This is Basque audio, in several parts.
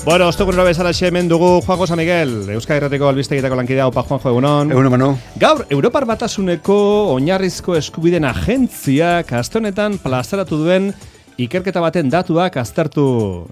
Bueno, ostegunero bezalaxe hemen dugu Juanjo San Miguel, Euskal Herrateko albistegitako lankidea. Opa, Juanjo, egunon. Egunon, Manu. Gaur, Europar Batasuneko oinarrizko eskubideen agentziak aste honetan plazaratu duen ikerketa baten datuak aztertu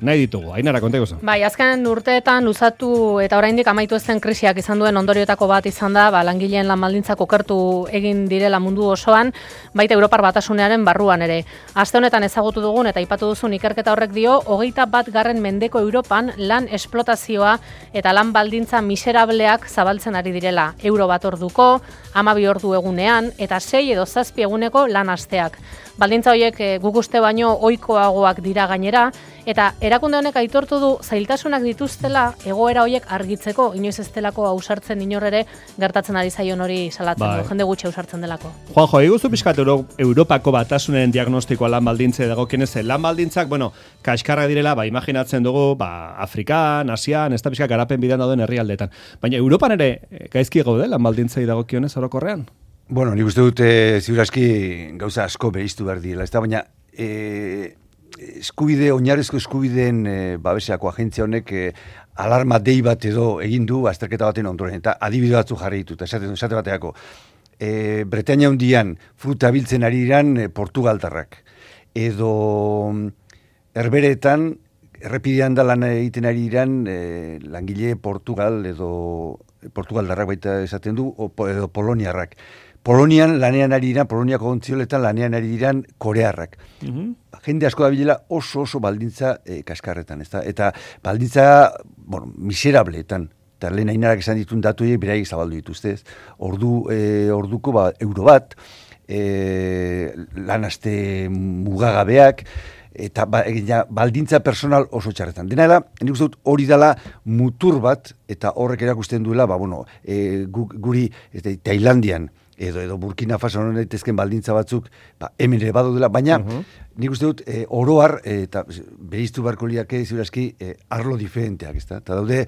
nahi ditugu. Ainara, konta iguzu. Bai, azken urteetan luzatu eta oraindik amaitu ez den krisiak izan duen ondorioetako bat izan da, langileen lan baldintzak okertu egin direla mundu osoan, baita Europar Batasunearen barruan ere. Aste honetan ezagutu dugun eta aipatu duzun ikerketa horrek dio, 21. mendeko Europan lan esplotazioa eta lan baldintza miserableak zabaltzen ari direla. Euro bat orduko, 12 ordu egunean eta 6 edo 7 eguneko lan asteak. Baldintza horiek guk uste baino ohikoagoak dira gainera, eta erakunde honek aitortu du zailtasunak dituztela egoera horiek argitzeko, inoiz ez delako ausartzen inor ere gertatzen ari zaion hori salatzen du, jende gutxi ausartzen delako. Juanjo, eguzu pixkat Europako Batasunen diagnostikoa lan baldintze dagokienez, lan baldintzak, kaskarra direla, imaginatzen dugu, Afrikan, Asian, ez da pixka garapen bidean dauden herrialdeetan. Baina Europan ere gaizki gaude lan baldintzei dagokionez orokorrean? Bueno, nik uste dut ziurazki gauza asko beriztu behar direla, ez da, baina oinarrizko eskubideen babeseako agentzia honek alarma dei bat edo egin du azterketa baten ondoren, eta adibide batzu jarri ditut, esate bateako. Bretainia hundian fruta biltzen ari diran portugaldarrak, edo herberetan errepidean da lan egiten ari diran langile portugaldarrak baita esaten du, edo poloniarrak. Polonian lanean ari diran, Poloniako ontzioletan lanean ari diran korearrak. Jende asko da bilela oso baldintza kaskarretan, ezta? Eta baldintza, miserableetan. Eta lehen Ainarak esan ditun datuei beraiek zabaldu dituzte, ez? Orduko euro bat, lan aste mugagabeak, eta baldintza personal oso txarretan. Dena nik uste dut hori dela mutur bat, eta horrek erakusten duela, guri Tailandian, edo Burkina Faso honen daitezken baldintza batzuk, hemen ere badaudela, baina nik uste dut oroar, eta beriztu beharko liake ziurazki arlo diferenteak, ezta? Eta daude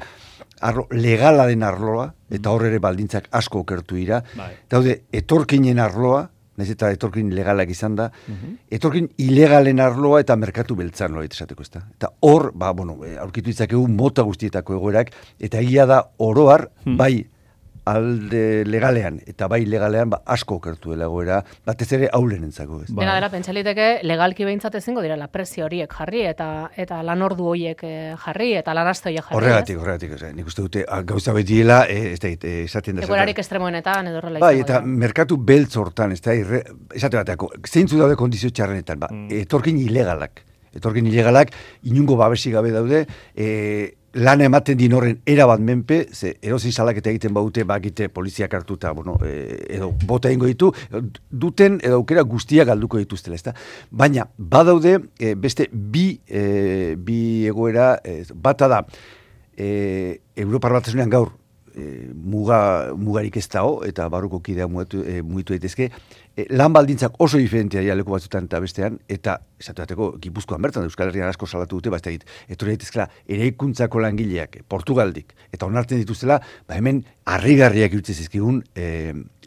arlo legala den arloa, eta horre ere baldintzak asko okertu dira, daude etorkinen arloa, nahiz eta etorkin legalak izan da, etorkin ilegalen arloa eta merkatu beltzan loa esateko, ezta? Eta hor, aurkitu itzakegu mota guztietako egoerak, eta egia da oroar, bai alde legalean eta bai legalean asko okertu dela egoera, batez ere aulenentzako. Dela, pentsaliteke legalki behintzat ezingo direla prezio horiek jarri eta lan ordu horiek jarri eta lan aste horiek jarri. Horregatik, nik uste dute gauza betiela, esaten da. Egoerarik estremoenetan edo horrela izango. Bai, eta merkatu beltz hortan, esate bateako, zeintzu daude kondizio txarrenetan, etorkin ilegalak, inungo babesi gabe daude, lan ematen din horren erabat menpe, ze erosi salaketa egiten baute bakite poliziak hartuta, edo bota egingo ditu, duten edo aukera guztiak galduko dituztela, ezta? Baina, badaude beste bi egoera, bata da, Europar Batasunean gaur, mugarik ez dago, eta barruko kidea mugitu daitezke, lan baldintzak oso diferentea dira leku batzutan eta bestean, eta esatu bateko Gipuzkoan bertan, Euskal Herrian asko salatu dute, etorri daitezkela eraikuntzako langileak, Portugaldik, eta onartzen dituztela, hemen harrigarriak iruditzen zizkigun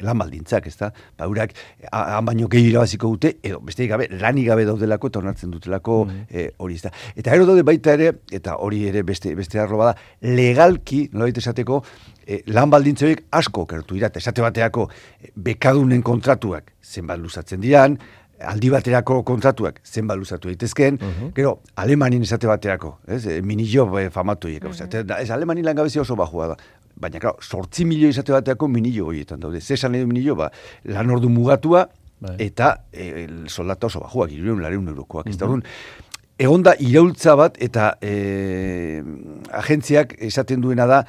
lan baldintzak, ezta? Eurak han baino gehi irabaziko dute, edo besterik gabe, lanik gabe daudelako eta onartzen dutelako hori, ezta? Eta gero daude baita ere, eta hori ere beste arlo bada, legalki, nolabait esateko, lan baldintza horiek asko okertu dira, eta esate bateako bekadunen kontratuak zenbat luzatzen diran, aldi baterako kontratuak zenbat luzatu daitezken, gero, Alemanin esate baterako, minillo famatu horiek, Alemanin langabezia oso bajua da, baina, klaro, 8 milioi esate baterako minillo horietan daude, zesan edo minillo, lan ordu mugatua, eta soldata oso bajuak, 300 eurokoak, ez da orduan, egon da iraultza bat eta agentziak esaten duena da,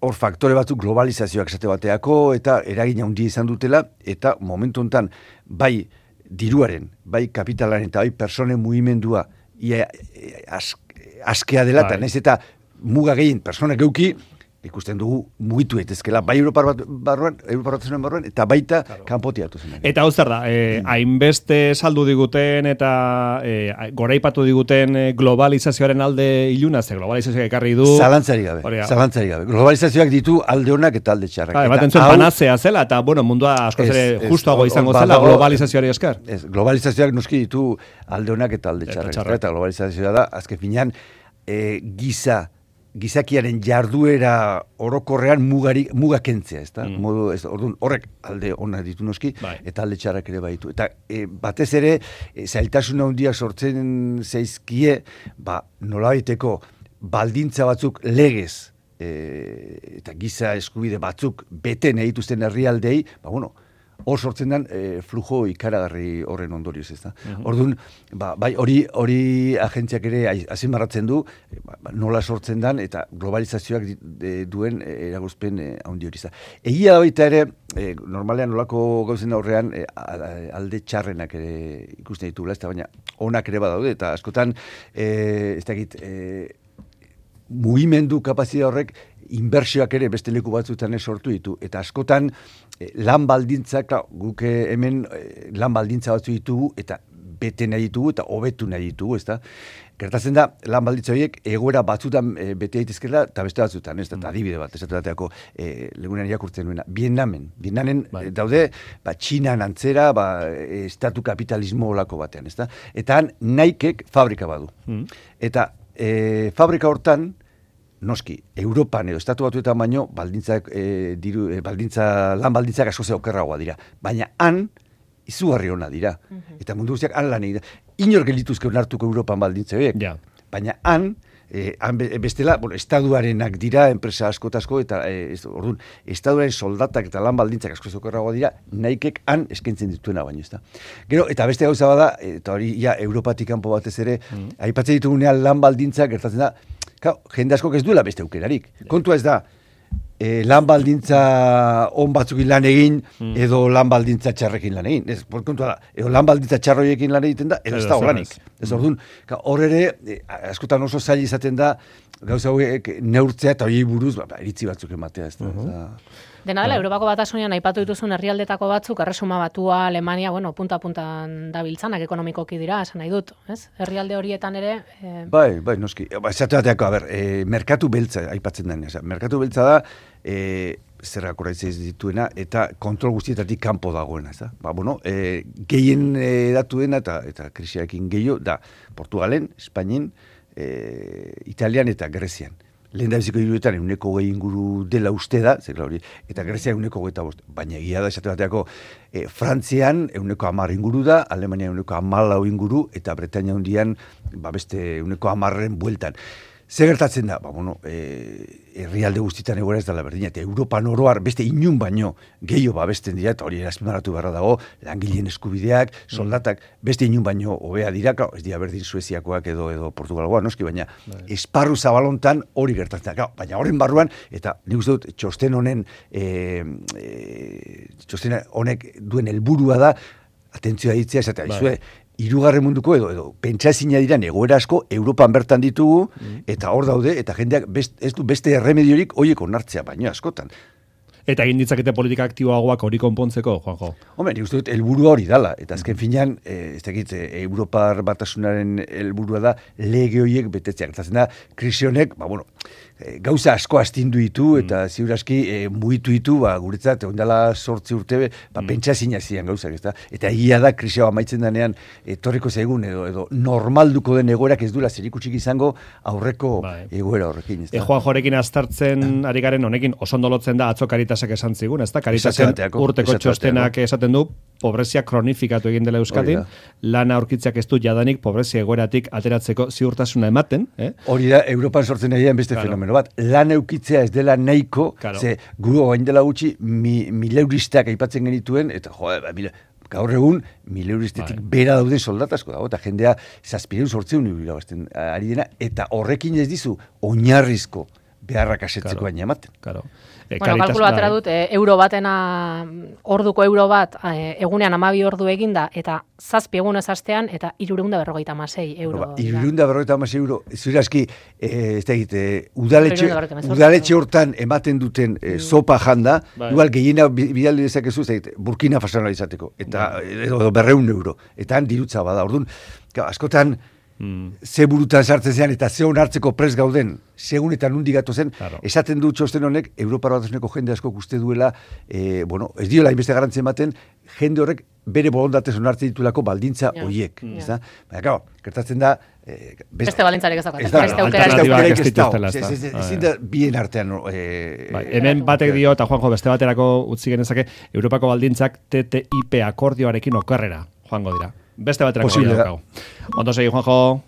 hor faktore batzuk globalizazioak esate bateako eta eragina handia izan dutela, eta momentu honetan bai diruaren, bai kapitalaren eta bai personen mugimendua askea dela, eta nahiz eta muga gehien personak geuki, ikusten dugu mugitu daitezkela bai Europar Batasunen barruan eta baita kanpotiatu zen. Eta hau zer da, hainbeste saldu diguten eta goraipatu diguten globalizazioaren alde iluna, ze globalizazioak ekarri du. Zalantzari gabe. Globalizazioak ditu alde honak eta alde txarrak. Ematen zuen panazea zela eta mundua askoz ere justuago izango zela globalizazioari esker. Globalizazioak noski ditu alde honak eta alde txarrak. Eta globalizazioa da, azken finean, giza gizakiaren jarduera orokorrean muga kentzea, ezta? Modu, orduan, horrek alde ona ditu noski, eta alde txarrak ere baitu. Eta batez ere, zailtasun handia sortzen zaizkie, nolabaiteko baldintza batzuk legez, eta giza eskubide batzuk bete nahi dituzten herrialdei, hor sortzen den flujo ikaragarri horren ondorioz, ezta. Orduan, bai hori agentziak ere azpimarratzen du, nola sortzen den eta globalizazioak duen eragozpen handi hori. Egia da baita ere, normalean nolako gauzen aurrean alde txarrenak ere ikusten ditugula, ezta, baina onak ere badaude, eta askotan, ez dakit, mugimendu kapazitatea horrek inbertsioak ere beste leku batzuetan sortu ditu, eta askotan lan baldintzak, guk hemen lan baldintza batzu ditugu, eta bete nahi ditugu, eta hobetu nahi ditugu, ezta? Gertatzen da, lan baldintza horiek egoera batzutan bete daitezkela, eta beste batzutan, ez da, adibide bat, esatu bateako legunean irakurtzen nuena. Viennamen daude, Txinan antzera, estatu kapitalismo olako batean, ez da? Eta han Nikek fabrika badu. Eta fabrika hortan, noski, Europan edo estatu batuetan baino, lan baldintzak asko okerragoa dira. Baina han, izugarri ona dira. Eta mundu guztiak han lan egin. Inor gelituzke onartuko Europan baldintza horiek. Baina han bestela, estaduarenak dira, enpresa asko, eta orduan, estaduaren soldatak eta lan baldintzak asko okerragoa dira, Nikek han eskaintzen dituena baino, ezta. Gero, eta beste gauza bada, eta hori Europatik kanpo batez ere, aipatzen ditugunean lan baldintzak gertatzen da, jende askok ez duela beste aukerarik. Kontua ez da, lan baldintza on batzukin lan egin, edo lan baldintza txarrekin lan egin. Ez, kontua da, edo lan baldintza txarroiekin lan egiten da, edo ez da horrenik. Ez orduan, hor ere, askotan oso zaila izaten da, gauza hauek neurtzea eta hori buruz, iritzi batzuk ematea. Dena dela, Europako Batasunean aipatu dituzun herrialdetako batzuk, Erresuma Batua, Alemania, punta-puntan dabiltzanak ekonomikoki dira, esan nahi dut, ez? Herrialde horietan ere... Bai, noski. Esatu bateako, merkatu beltza aipatzen den. Merkatu beltza da, zerrak horreitzez dituena, eta kontrol guztietatik kanpo dagoena, ez da? Gehien datu dena, eta krisiarekin gehiago, da Portugalen, Espainien, Italian eta Grezian. Lehen da biziko hiruetan 120 inguru dela uste da, eta Grezia 125. Baina egia da, esate bateako, Frantzian 110 inguru da, Alemania 114 inguru, eta Bretaña hundian beste 110 bueltan. Zer gertatzen da? Herrialde guztietan egoera ez dela berdina, eta Europan oroar beste inun baino gehiago babesten dira, eta hori azpimarratu beharra dago, langileen eskubideak, soldatak, beste inun baino hobea dira, ez dira berdin Sueziakoak edo Portugalgoa, noski, baina esparru zabalontan hori gertatzen da. Baina horren barruan, eta nik uste dut txosten honek duen helburua da, atentzioa ditzea, esatea, hirugarren munduko edo pentsazina diran egoera asko Europan bertan ditugu, eta hor daude, eta jendeak ez du beste erremediorik horiek onartzea, baino askotan. Eta egin ditzakete politika aktiboagoak hori konpontzeko, Juanjo? Nik uste dut helburua hori dala, eta azken finean, Europar Batasunaren helburua da lege horiek betetzea. Gertatzen da, krisi honek, gauza asko astindu ditu, eta ziur aski mugitu ditu, guretzat, ondala 8 urte, pentsazina zian gauzak, ezta? Eta egia da, krisi hau amaitzen denean, etorriko zaigun, edo normalduko den egoerak ez duela zerikutsik izango aurreko egoera horrekin, ezta? Juanjorekin aztertzen ari garen honekin, oso ondolotzen da atzo Karitasak esan zigun, ezta? Karitasen urteko txostenak esaten du, pobrezia kronifikatu egin dela Euskadin, lana aurkitzeak ez du jadanik pobrezia egoeratik ateratzeko ziurtasuna ematen. Hori da, Europan sortzen ari beste fenomeno bat. Lan eukitzea ez dela nahiko, ze guru gain dela gutxi, mileuristak aipatzen genituen, eta gaur egun, mileuristetik bera dauden soldatasko dago, eta jendea 700-800 irabazten ari dena, eta horrekin ez dizu oinarrizko beharrak asetzeko baina ematen. Kalkulo batera dut, euro batena, orduko euro bat, egunean 12 ordu eginda, eta 7 egunez astean, eta 356 euro. 356 euro, zure aski, udaletxe hortan ematen duten sopa janda, igual gehiena bidaldi dezakezu, Burkina Faso izateko, eta edo 200 euro, eta han dirutza bada, orduan, askotan, ze burutan sartzen zean eta ze onartzeko prest gauden, segun eta nundi gatu zen, esaten du txosten honek, Europar Batasuneko jende asko uste duela, ez diola inbeste garantzia ematen, jende horrek bere borondatez onartzen ditulako baldintza horiek. Baina, gertatzen da, beste baldintzarik ez dago. Ezin da bien artean. Hemen batek dio, eta Juanjo beste baterako utzi genezake, Europako baldintzak TTIP akordioarekin okerrera joango dira. Beste baterako daukagu. Ondo segi, Juanjo.